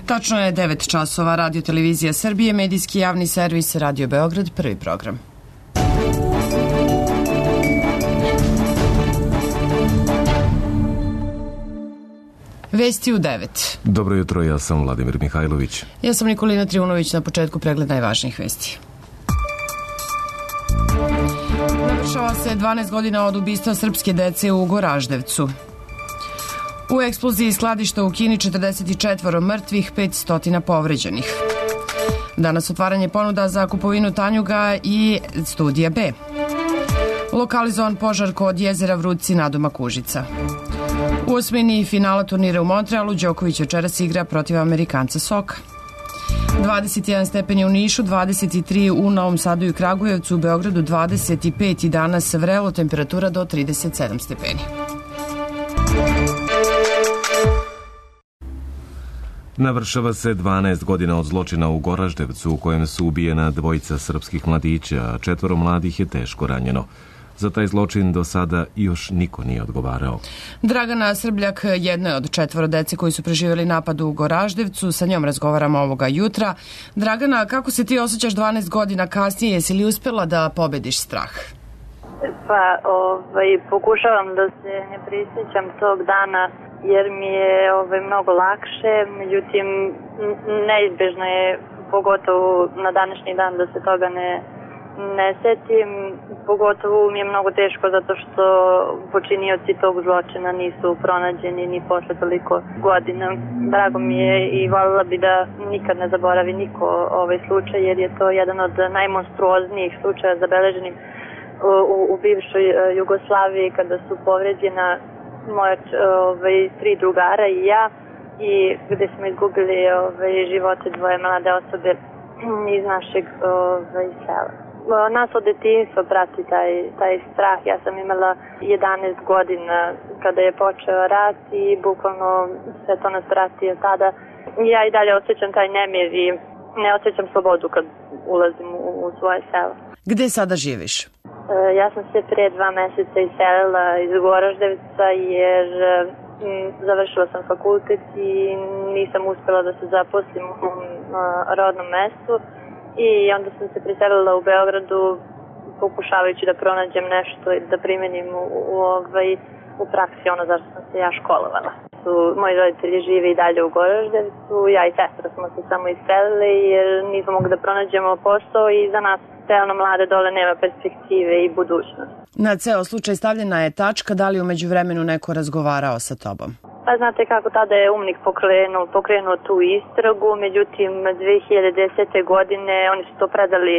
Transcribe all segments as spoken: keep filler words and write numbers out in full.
Tačno je devet časova. Radio Televizija Srbije, medijski javni servis, Radio Beograd, prvi program. Vesti u devet. Dobro jutro, ja sam Vladimir Mihajlović. Ja sam Nikolina Trivunović, na početku pregled najvažnijih vesti. Navršava se dvanaest godina od ubistva srpske dece u Goraždevcu. U eksploziji skladišta u Kini četrdeset četiri mrtvih, petsto povređenih. Danas otvaranje ponuda za kupovinu tanjuga i Studija B. Lokalizovan požar kod jezera Vrudci nadomak Užica. U osmini finala turnira u Montrealu Đoković večeras igra protiv Amerikanca Soka. dvadeset jedan stepeni u Nišu, dvadeset tri u Novom Sadu i Kragujevcu, u Beogradu dvadeset pet i danas vrelo, temperatura do trideset sedam stepeni. Navršava se dvanaest godina od zločina u Goraždevcu u kojem su ubijena dvojica srpskih mladića, a četvoro mladih je teško ranjeno. Za taj zločin do sada još niko nije odgovarao. Dragana Srbljak jedna je od četvoro dece koji su preživjeli napad u Goraždevcu. Sa njom razgovaramo ovoga jutra. Dragana, kako se ti osjećaš dvanaest godina kasnije? Jesi li uspjela da pobediš strah? Pa, ovaj, pokušavam da se ne prisjećam tog dana jer mi je ovaj, mnogo lakše. Međutim, neizbježno je, pogotovo na današnji dan, da se toga ne ne setim. Pogotovo mi je mnogo teško zato što počinioci tog zločina nisu pronađeni ni posle toliko godina. Drago mi je i voljela bi da nikad ne zaboravi niko ovaj slučaj, jer je to jedan od najmonstruoznijih slučaja zabeleženih u, u, u bivšoj Jugoslaviji, kada su povređena moja ovaj, tri drugara i ja, i gde smo izgubili ovaj, živote dvoje mlade osobe iz našeg ovaj, sela. Nas od detinjstva prati taj, taj strah. Ja sam imala jedanaest godina kada je počeo rat i bukvalno sve to nas prati od tada. Ja i dalje osjećam taj nemir i ne osjećam slobodu kad ulazim u, u svoje selo. Gde sada živiš? Ja sam se pre dva meseca iselila iz Goraždevca jer m, završila sam fakultet i nisam uspjela da se zaposlim u mom rodnom mestu. I onda sam se preselila u Beogradu pokušavajući da pronađem nešto i da primenim u, u, ovaj, u praksi ono zašto sam se ja školovala. Su, moji roditelji žive i dalje u Goraždevcu, ja i sestra smo se samo iselili jer nismo mogli da pronađemo posao i za nas realno mlade dole nema perspektive i budućnosti. Na ceo slučaj stavljena je tačka, da li umeđu vremenu neko razgovarao sa tobom? Pa znate kako, tada je UMNIK pokrenuo, pokrenuo tu istragu, međutim dve hiljade desete. godine oni su to predali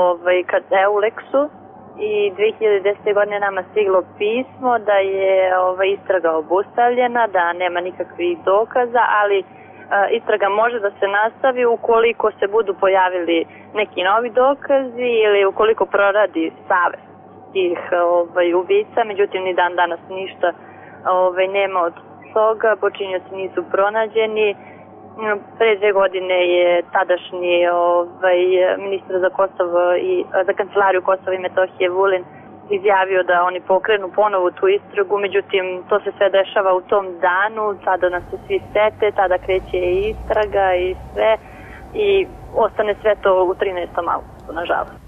ovaj, kad Euleksu i dve hiljade desete. godine nama stiglo pismo da je ovaj, istraga obustavljena, da nema nikakvih dokaza, ali a, istraga može da se nastavi ukoliko se budu pojavili neki novi dokazi ili ukoliko proradi savest tih ovaj, ubica, međutim ni dan danas ništa ovaj, nema od toga, počinioci nisu pronađeni. Pre dve godine je tadašnji ovaj, ministar za Kosovo i za kancelariju Kosova i Metohije Vulin izjavio da oni pokrenu ponovo tu istragu, međutim to se sve dešava u tom danu, tada nas se svi sete, tada kreće i istraga i sve i ostane sve to u trinaestom augustu, nažalost.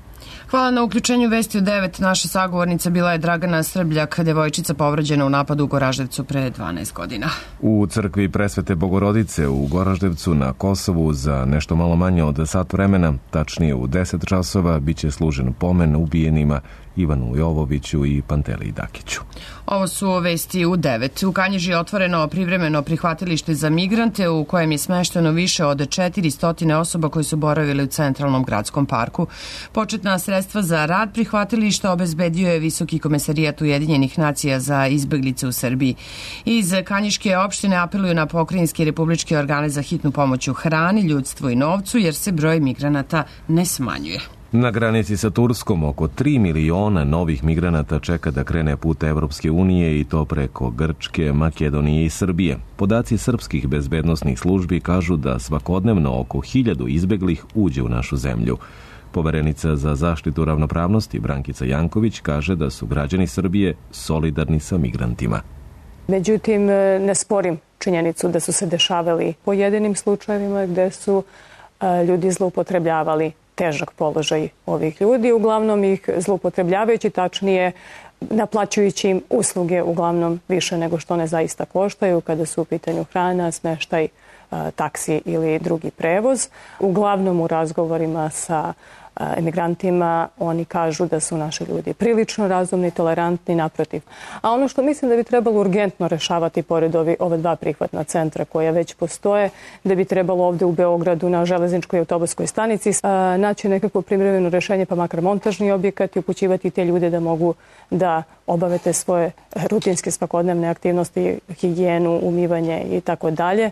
Hvala na uključenju vesti u devet. Naša sagovornica bila je Dragana Srbljak, devojčica povređena u napadu u Goraždevcu pre dvanaest godina. U crkvi Presvete Bogorodice u Goraždevcu na Kosovu za nešto malo manje od sat vremena, tačnije u deset časova, biće služen pomen ubijenima Ivanu Jovoviću i Panteliji Dakiću. Ovo su vesti u devet. U Kanjiži je otvoreno privremeno prihvatilište za migrante u kojem je smešteno više od četiristo osoba koji su boravili u centralnom gradskom parku. Početna sredstva za rad prihvatilišta obezbedio je Visoki komesarijat Ujedinjenih nacija za izbeglice u Srbiji. Iz Kanjiške opštine apeluju na pokrajinske i republičke organe za hitnu pomoć u hrani, ljudstvu i novcu jer se broj migranata ne smanjuje. Na granici sa Turskom oko tri miliona novih migranata čeka da krene put Evropske unije i to preko Grčke, Makedonije i Srbije. Podaci srpskih bezbednosnih službi kažu da svakodnevno oko hiljadu izbeglih uđe u našu zemlju. Poverenica za zaštitu ravnopravnosti Brankica Janković kaže da su građani Srbije solidarni sa migrantima. Međutim, ne sporim činjenicu da su se dešavali pojedinim slučajevima gde su ljudi zloupotrebljavali težak položaj ovih ljudi, uglavnom ih zloupotrebljavajući, tačnije naplaćujući im usluge uglavnom više nego što one zaista koštaju kada su u pitanju hrana, smeštaj, taksi ili drugi prevoz. Uglavnom u razgovorima sa emigrantima oni kažu da su naši ljudi prilično razumni, tolerantni, naprotiv. A ono što mislim da bi trebalo urgentno rešavati pored ovi, ove dva prihvatna centra koja već postoje, da bi trebalo ovde u Beogradu na železničkoj i autobuskoj stanici a, naći nekako privremeno rešenje, pa makar montažni objekat i upućivati te ljude da mogu da obave te svoje rutinske svakodnevne aktivnosti, higijenu, umivanje i tako dalje.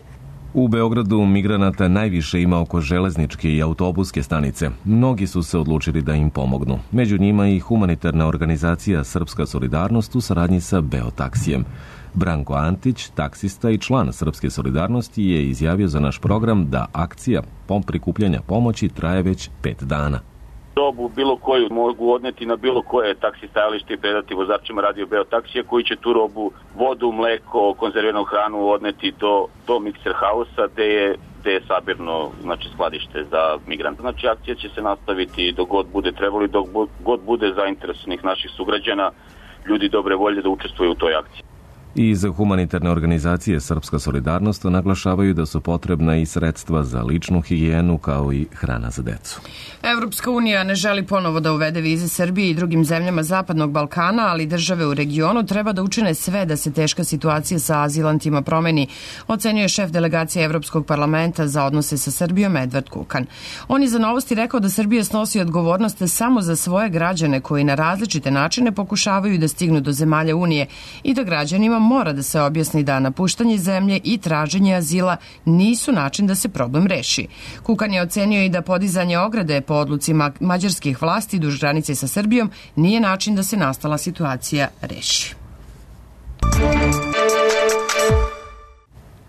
U Beogradu migranata najviše ima oko železničke i autobuske stanice. Mnogi su se odlučili da im pomognu. Među njima i humanitarna organizacija Srpska solidarnost u saradnji sa Beotaksijem. Branko Antić, taksista i član Srpske solidarnosti, je izjavio za naš program da akcija prikupljanja pomoći traje već pet dana. Robu bilo koju mogu odneti na bilo koje taksi stajalište i predati vozačima radio Beotaksija koji će tu robu, vodu, mleko, konzerviranu hranu odneti do, do Mikser Hausa gde je, gde je sabirno znači, skladište za migrante. Znači akcija će se nastaviti dok god bude trebalo i dok god bude zainteresovanih naših sugrađana, ljudi dobre volje da učestvuju u toj akciji. Iz humanitarne organizacije Srpska solidarnost naglašavaju da su potrebna i sredstva za ličnu higijenu kao i hrana za decu. Evropska unija ne želi ponovo da uvede vize Srbiji i drugim zemljama Zapadnog Balkana, ali države u regionu treba da učine sve da se teška situacija sa azilantima promeni, ocenjuje šef delegacije Evropskog parlamenta za odnose sa Srbijom Edvard Kukan. On je za Novosti rekao da Srbija snosi odgovornost samo za svoje građane koji na različite načine pokušavaju da stignu do zemalja Unije i da građanima mora da se objasni da napuštanje zemlje i traženje azila nisu način da se problem reši. Kukan je ocenio i da podizanje ograde po odluci mađarskih vlasti duž granice sa Srbijom nije način da se nastala situacija reši.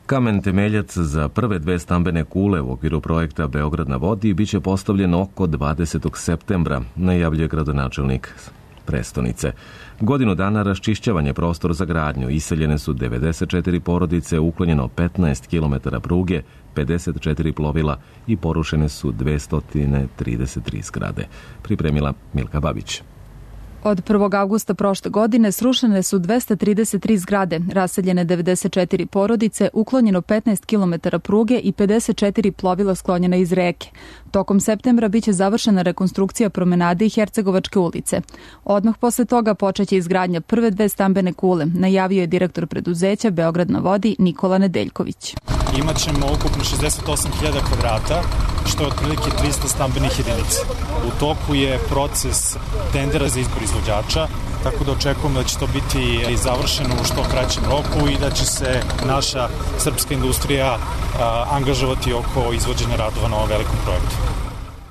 Kamen temeljac za prve dve stambene kule u okviru projekta Beograd na vodi biće postavljen oko dvadesetog septembra, najavljuje gradonačelnik prestonice. Godinu dana raščišćavanje prostora za gradnju, iseljene su devedeset četiri porodice, uklonjeno petnaest kilometara pruge, pedeset četiri plovila i porušene su dvesta trideset tri zgrade. Pripremila Milka Babić. Od prvog avgusta prošle godine srušene su dvesta trideset tri zgrade, raseljene devedeset četiri porodice, uklonjeno petnaest kilometara pruge i pedeset četiri plovila sklonjena iz reke. Tokom septembra biće završena rekonstrukcija promenade i Hercegovačke ulice. Odmah posle toga počeće izgradnja prve dve stambene kule, najavio je direktor preduzeća Beograd na vodi Nikola Nedeljković. Imaćemo ukupno šezdeset osam hiljada kvadrata, što je otprilike trista stambenih jedinica. U toku je proces tendera za izbor izvođača, tako da očekujemo da će to biti završeno u što kraćem roku i da će se naša srpska industrija angažovati oko izvođenja radova na ovom velikom projektu.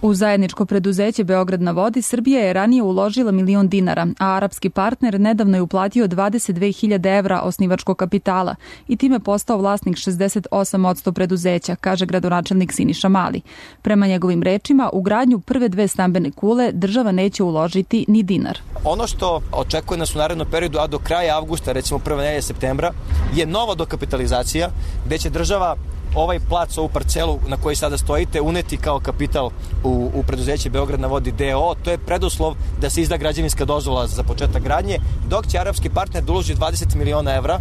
U zajedničko preduzeće Beograd na vodi Srbija je ranije uložila milion dinara, a arapski partner nedavno je uplatio dvadeset dve hiljade evra osnivačkog kapitala i time postao vlasnik šezdeset osam posto preduzeća, kaže gradonačelnik Siniša Mali. Prema njegovim rečima, u gradnju prve dve stambene kule država neće uložiti ni dinar. Ono što očekuje nas u narednom periodu, a do kraja avgusta, recimo prve nedelje septembra, je nova dokapitalizacija gde će država ovaj plac, ovu parcelu na kojoj sada stojite, uneti kao kapital u, u preduzeće Beograd na vodi D O O. To je preduslov da se izda građevinska dozvola za početak gradnje, dok će arapski partner da uloži dvadeset miliona evra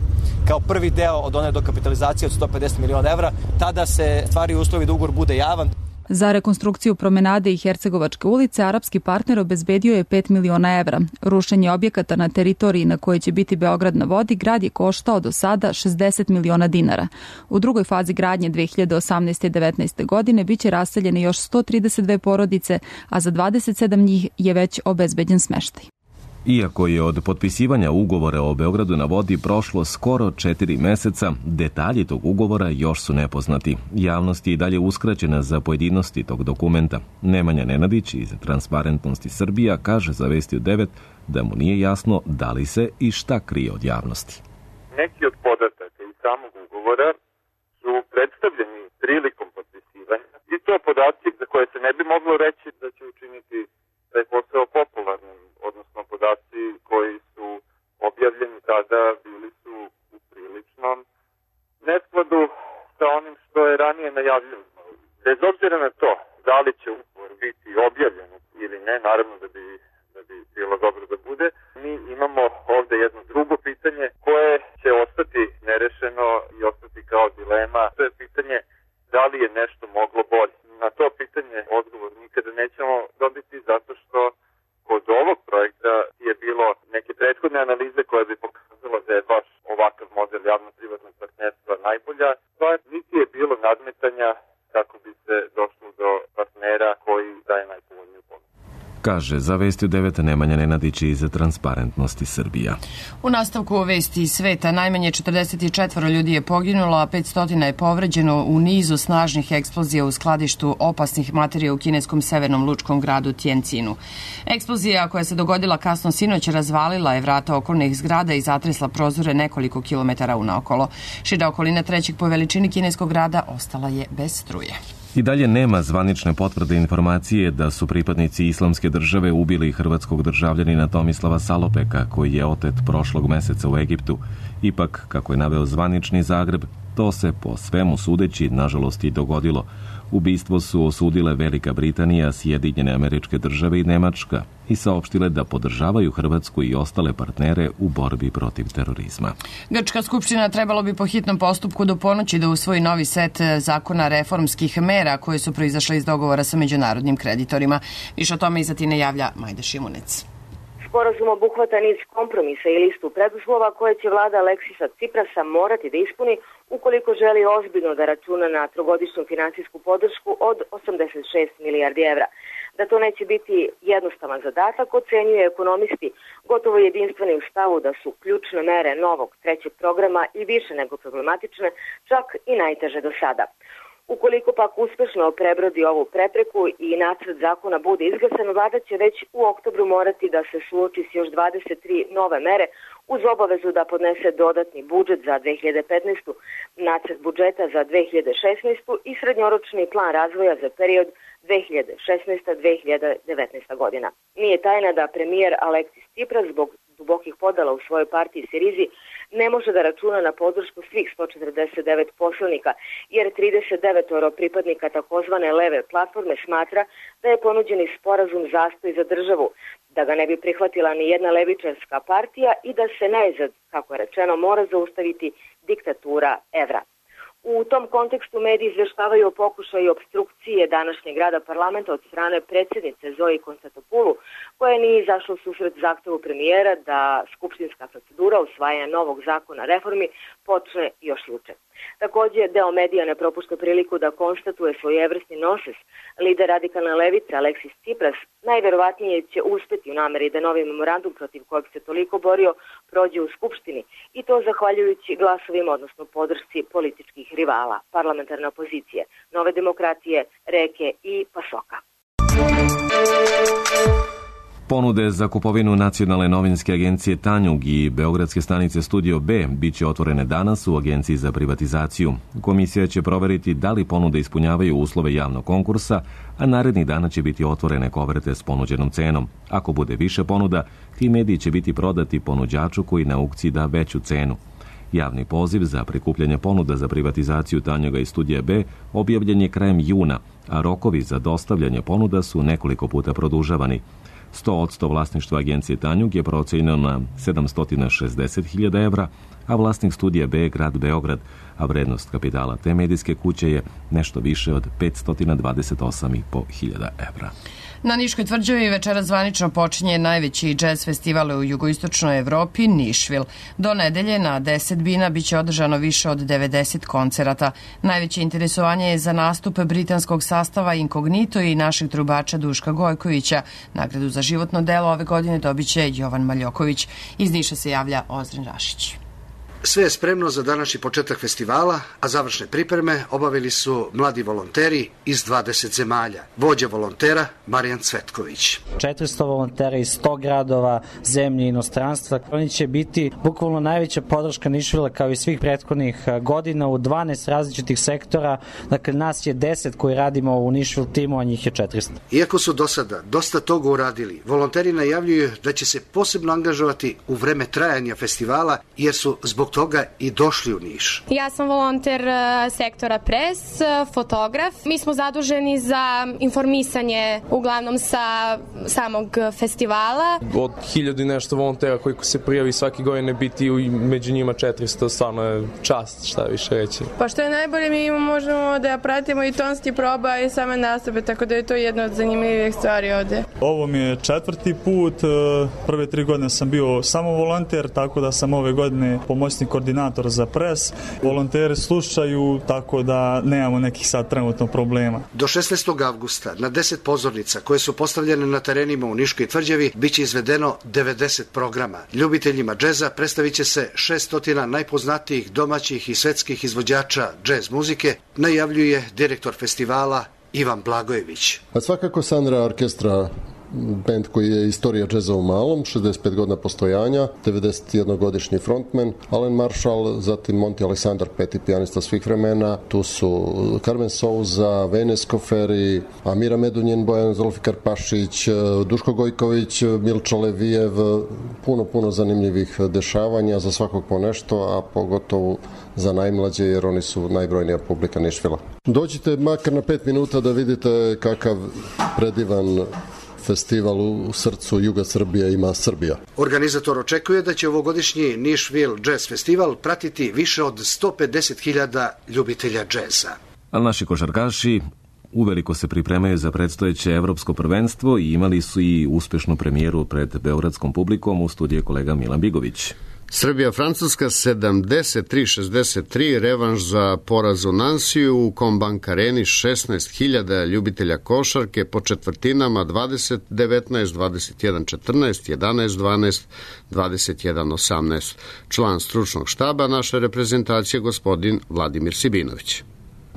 kao prvi deo od one dokapitalizacije od sto pedeset miliona evra. Tada se stvari uslovi da ugovor bude javan. Za rekonstrukciju promenade i Hercegovačke ulice arapski partner obezbedio je pet miliona evra. Rušenje objekata na teritoriji na kojoj će biti Beograd na vodi grad je koštao do sada šezdeset miliona dinara. U drugoj fazi gradnje dve hiljade osamnaeste i devetnaeste. godine biće raseljene još sto trideset dve porodice, a za dvadeset sedam njih je već obezbeđen smeštaj. Iako je od potpisivanja ugovora o Beogradu na vodi prošlo skoro četiri meseca, detalji tog ugovora još su nepoznati. Javnost je i dalje uskraćena za pojedinosti tog dokumenta. Nemanja Nenadić iz Transparentnosti Srbija kaže za Vesti u devet da mu nije jasno da li se i šta krije od javnosti. Neki od podataka iz samog ugovora su predstavljeni prilikom potpisivanja i to podaci za koje se ne bi moglo reći da će učiniti taj posao popularnim, odnosno podaci koji su objavljeni tada bili su u priličnom neskladnosti je ranije najavljeno. Bez obzira na to da li će ugovor biti objavljen ili ne, naravno da bi, da bi bilo dobro da bude, mi imamo ovde jedno drugo pitanje koje će ostati nerešeno i ostati kao dilema. To je pitanje da li je nešto moglo bolje. Na to pitanje odgovor nikada nećemo dobiti zato što kod ovog projekta je bilo neke prethodne analize koje bi pokazalo da je baš ovakav model javno-privatnog partnerstva najbolja. To niti je bilo nadmetanja kako bi se došlo do partnera koji daje najpovoljniju ponudu. Kaže za Vesti u devet Nemanja Nenadić iz Transparentnosti Srbija. U nastavku Vesti iz sveta najmanje četrdeset četiri ljudi je poginulo, a petsto je povređeno u nizu snažnih eksplozija u skladištu opasnih materija u kineskom severnom lučkom gradu Tjencinu. Eksplozija koja se dogodila kasno sinoć razvalila je vrata okolnih zgrada i zatresla prozore nekoliko kilometara unaokolo. Šira okolina trećeg po veličini kineskog grada ostala je bez struje. I dalje nema zvanične potvrde informacije da su pripadnici Islamske države ubili hrvatskog državljanina Tomislava Salopeka, koji je otet prošlog meseca u Egiptu. Ipak, kako je naveo zvanični Zagreb, to se po svemu sudeći, nažalost, i dogodilo. Ubistvo su osudile Velika Britanija, Sjedinjene Američke Države i Nemačka i saopštile da podržavaju Hrvatsku i ostale partnere u borbi protiv terorizma. Grčka skupština trebalo bi po hitnom postupku do ponoći da usvoji novi set zakona reformskih mera koje su proizašle iz dogovora sa međunarodnim kreditorima. Više o tome iz Atine javlja Majda Šimunec. Sporazum obuhvata niz kompromisa i listu preduslova koje će vlada Aleksisa Ciprasa morati da ispuni ukoliko želi ozbiljno da računa na trogodišnju finansijsku podršku od osamdeset šest milijardi evra. Da to neće biti jednostavan zadatak ocenjuju ekonomisti, gotovo jedinstveni u stavu da su ključne mere novog trećeg programa i više nego problematične, čak i najteže do sada. Ukoliko pak uspešno prebrodi ovu prepreku i nacrt zakona bude izglasan, vlada će već u oktobru morati da se suoči s još dvadeset tri nove mere uz obavezu da podnese dodatni budžet za dve hiljade petnaestu, nacrt budžeta za dve hiljade šesnaestu i srednjoročni plan razvoja za period dve hiljade šesnaesta do dve hiljade devetnaesta godina. Nije tajna da premijer Aleksis Cipras zbog dubokih podela u svojoj partiji Sirizi ne može da računa na podršku svih sto četrdeset devet poslanika, jer trideset devet pripadnika takozvane leve platforme smatra da je ponuđeni sporazum zastoj za državu, da ga ne bi prihvatila ni jedna levičarska partija i da se najzad, kako je rečeno, mora zaustaviti diktatura evra. U tom kontekstu mediji izveštavaju o pokušaju opstrukcije današnjeg rada parlamenta od strane predsjednice Zoe Konstantopulu, koja nije izašla u susret zahtevu premijera da skupštinska procedura usvajanja novog zakona reformi počne još juče. Takođe, deo medija ne propušta priliku da konstatuje svojevrsni noses. Lider radikalne levice Aleksis Cipras najverovatnije će uspeti u nameri da novi memorandum protiv kojeg se toliko borio prođe u Skupštini i to zahvaljujući glasovima, odnosno podršci političkih rivala, parlamentarne opozicije, Nove demokratije, Reke i Pasoka. Ponude za kupovinu Nacionalne novinske agencije Tanjug i Beogradske stanice Studio B biće otvorene danas u Agenciji za privatizaciju. Komisija će proveriti da li ponude ispunjavaju uslove javnog konkursa, a narednih dana će biti otvorene koverte s ponuđenom cenom. Ako bude više ponuda, ti mediji će biti prodati ponuđaču koji na aukciji da veću cenu. Javni poziv za prikupljanje ponuda za privatizaciju Tanjuga i Studija B objavljen je krajem juna, a rokovi za dostavljanje ponuda su nekoliko puta produžavani. sto posto vlasništva agencije Tanjug je procenjeno na sedamsto šezdeset hiljada evra, a vlasnik Studija B je grad Beograd, a vrednost kapitala te medijske kuće je nešto više od petsto dvadeset osam i po hiljada evra. Na Niškoj tvrđavi večera zvanično počinje najveći džez festival u jugoistočnoj Evropi, Nišvil. Do nedelje na deset bina biće održano više od devedeset koncerata. Najveće interesovanje je za nastup britanskog sastava Inkognito i našeg trubača Duška Gojkovića. Nagradu za životno delo ove godine dobiće Jovan Maljoković. Iz Niša se javlja Ozren Rašić. Sve je spremno za današnji početak festivala, a završne pripreme obavili su mladi volonteri iz dvadeset zemalja. Vođa volontera Marijan Cvetković. četiristo volontera iz sto gradova, zemlje i inostranstva. Oni će biti bukvalno najveća podrška Nišvila kao i svih prethodnih godina u dvanaest različitih sektora. Dakle, nas je deset koji radimo u Nišvil timu, a njih je četiristo. Iako su do sada dosta toga uradili, volonteri najavljuju da će se posebno angažovati u vreme trajanja festivala, jer su zbog toga i došli u Niš. Ja sam volonter sektora pres, fotograf. Mi smo zaduženi za informisanje uglavnom sa samog festivala. Od hiljadu i nešto volontera koji se prijavi svake godine biti među njima četiristo, stvarno je čast, šta više reći. Pa što je najbolje, mi možemo da pratimo i tonski proba i same nastupe, tako da je to jedna od zanimljivih stvari ovde. Ovo mi je četvrti put, prve tri godine sam bio samo volonter, tako da sam ove godine pomoćni koordinator za pres. Volonteri slušaju, tako da nemamo nekih sad trenutno problema. Do šesnaestog avgusta na deset pozornica koje su postavljene na terenima u Niškoj tvrđavi biće izvedeno devedeset programa. Ljubiteljima džeza predstavit će se šesnaest najpoznatijih domaćih i svetskih izvođača džez muzike, najavljuje direktor festivala Ivan Blagojević. A svakako Sandra Orkestra, bend koji je istorija džeza u malom, šezdeset pet godina postojanja, devedesetjednogodišnji frontman, Alan Marshall, zatim Monty Alexander, peti pijanista svih vremena, tu su Carmen Souza, Vene Skoferi, Amira Medunjen, Bojan Zolfikar Pašić, Duško Gojković, Milčo Levijev, puno, puno zanimljivih dešavanja, za svakog po nešto, a pogotovo za najmlađe, jer oni su najbrojnija publika Nišvila. Dođite makar na pet minuta da vidite kakav predivan festival u srcu juga Srbije ima Srbija. Organizator očekuje da će ovogodišnji Nišvil Jazz Festival pratiti više od sto pedeset hiljada ljubitelja džeza. A naši košarkaši uveliko se pripremaju za predstojeće evropsko prvenstvo i imali su i uspešnu premijeru pred beogradskom publikom. U studiju kolega Milan Bigović. Srbija-Francuska sedamdeset tri šezdeset tri, revanš za poraz u Nansiju u Combank Areni, šesnaest hiljada ljubitelja košarke po četvrtinama, dvadeset devetnaest, dvadeset jedan četrnaest, jedanaest dvanaest, dvadeset jedan osamnaest. Član stručnog štaba naše reprezentacije, gospodin Vladimir Sibinović.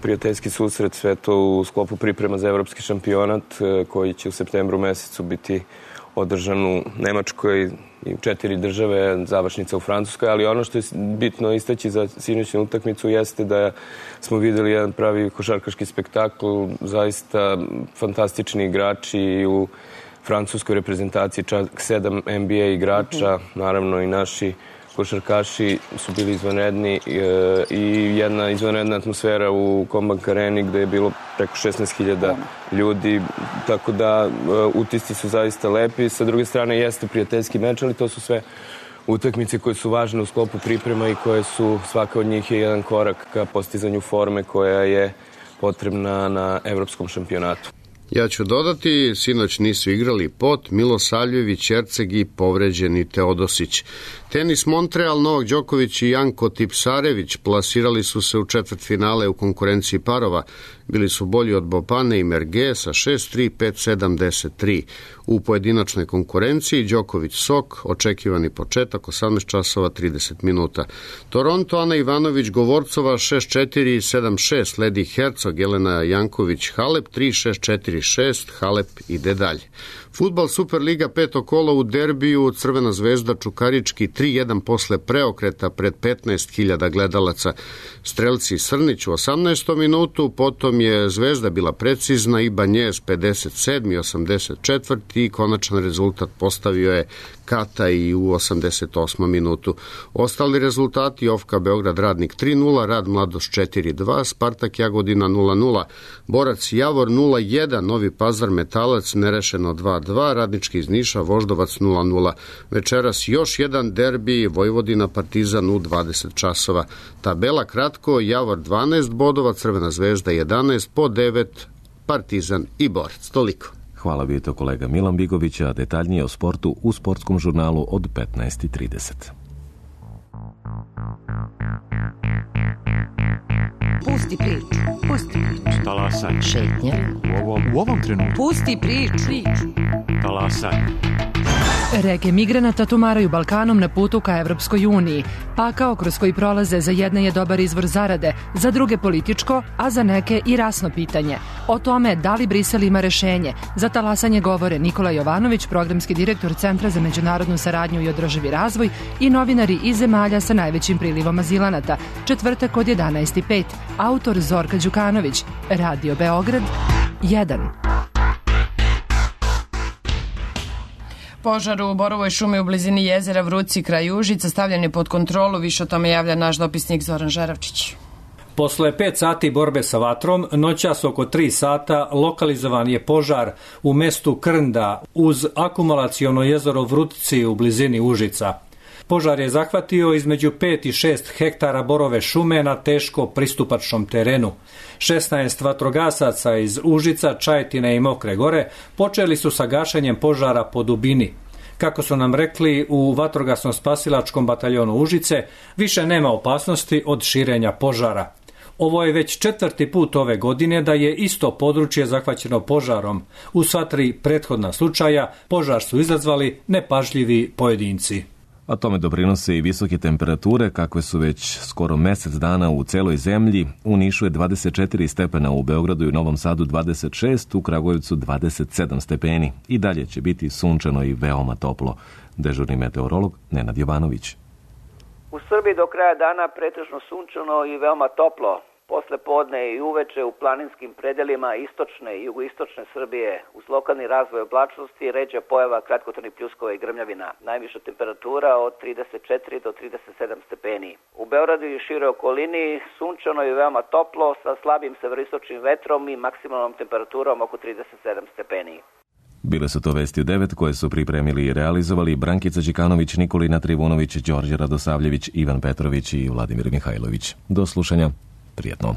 Prijateljski susret, sve to u sklopu priprema za evropski šampionat koji će u septembru mesecu biti održan u Nemačkoj i četiri države, završnica u Francuskoj, ali ono što je bitno istaći za sinoćnu utakmicu jeste da smo videli jedan pravi košarkaški spektakl, zaista fantastični igrači u francuskoj reprezentaciji, čak sedam N B A igrača, naravno i naši košarkaši su bili izvanredni i jedna izvanredna atmosfera u Combank Areni gde je bilo preko šesnaest hiljada ljudi, tako da utisci su zaista lepi. Sa druge strane jeste prijateljski meč, ali to su sve utakmice koje su važne u sklopu priprema i koje su, svaka od njih je jedan korak ka postizanju forme koja je potrebna na evropskom šampionatu. Ja ću dodati, sinoć nisu igrali Pot, Milosavljević, Erceg i povređeni Teodosić. Tenis Montreal, Novak Đoković i Janko Tipsarević plasirali su se u četvrtfinale u konkurenciji parova. Bili su bolji od Bopane i Merge sa šest tri, pet sedam, deset tri. U pojedinačnoj konkurenciji Đoković Sok, očekivani početak, osamnaest časova trideset minuta. Toronto, Ana Ivanović Govorcova šest četiri, sedam šest, sledi Hercog, Jelena Janković Halep tri šest četiri šest, Halep ide dalje. Fudbal Superliga peto kolo u derbiju, Crvena zvezda Čukarički tri jedan posle preokreta pred petnaest hiljada gledalaca. Strelci Srnić u osamnaestom minutu, potom je Zvezda bila precizna i Banjez pedeset sedam i osamdeset četvrti i konačan rezultat postavio je Kata i u osamdeset osmom minutu. Ostali rezultati: Ofka Beograd Radnik tri nula, Rad Mladost četiri dva, Spartak Jagodina nula nula, Borac Javor nula jedan, Novi Pazar Metalac nerešeno dva dva, Radnički iz Niša Voždovac nula nula. Večeras još jedan derbi, Vojvodina Partizan u dvadeset časova. Tabela kratko: Javor dvanaest bodova, Crvena zvezda jedanaest, po devet Partizan i Borac. Toliko. Hvala bi to kolega Milan Bigović, a detaljnije o sportu u sportskom žurnalu od petnaest i trideset. Pusti priču, pusti priču. Talasaj. Šetnje. U ovom, u ovom trenutku. Pusti priču. Talasaj. Reke migranata tumaraju Balkanom na putu ka Evropskoj uniji. Pakao kroz koji prolaze za jedne je dobar izvor zarade, za druge političko, a za neke i rasno pitanje. O tome da li Brisel ima rešenje, za talasanje govore Nikola Jovanović, programski direktor Centra za međunarodnu saradnju i održivi razvoj, i novinari iz zemalja sa najvećim prilivom azilanata. Četvrtak od jedanaest i pet. Autor Zorka Đukanović. Radio Beograd jedan. Požar u Borovoj šumi u blizini jezera Vruci kraj Užica stavljen je pod kontrolu, više o tome javlja naš dopisnik Zoran Žeravčić. Posle pet sati borbe sa vatrom, noćas oko tri sata lokalizovan je požar u mestu Krnda uz akumulaciono jezero Vrutci u blizini Užica. Požar je zahvatio između pet i šest hektara borove šume na teško pristupačnom terenu. šesnaest vatrogasaca iz Užica, Čajetine i Mokre Gore počeli su sa gašenjem požara po dubini. Kako su nam rekli u vatrogasno-spasilačkom bataljonu Užice, više nema opasnosti od širenja požara. Ovo je već četvrti put ove godine da je isto područje zahvaćeno požarom. U sva tri prethodna slučaja požar su izazvali nepažljivi pojedinci. A tome doprinose i visoke temperature, kakve su već skoro mesec dana u celoj zemlji. U Nišu je dvadeset četiri stepena, u Beogradu i Novom Sadu dvadeset šest, u Kragujevcu dvadeset sedam stepeni. I dalje će biti sunčano i veoma toplo. Dežurni meteorolog Nenad Jovanović. U Srbiji do kraja dana pretežno sunčano i veoma toplo. Posle podne i uveče u planinskim predelima istočne i jugoistočne Srbije uz lokalni razvoj oblačnosti ređa pojava kratkotrajnih pljuskova i grmljavina. Najviša temperatura od trideset četiri do trideset sedam stepeni. U Beogradu i široj okolini sunčano i veoma toplo sa slabim severistočnim vetrom i maksimalnom temperaturom oko trideset sedam stepeni. Bile su to vesti u devet koje su pripremili i realizovali Brankica Đikanović, Nikolina Trivunović, Đorđe Radosavljević, Ivan Petrović i Vladimir Mihajlović. Do slušanja. Prijetno.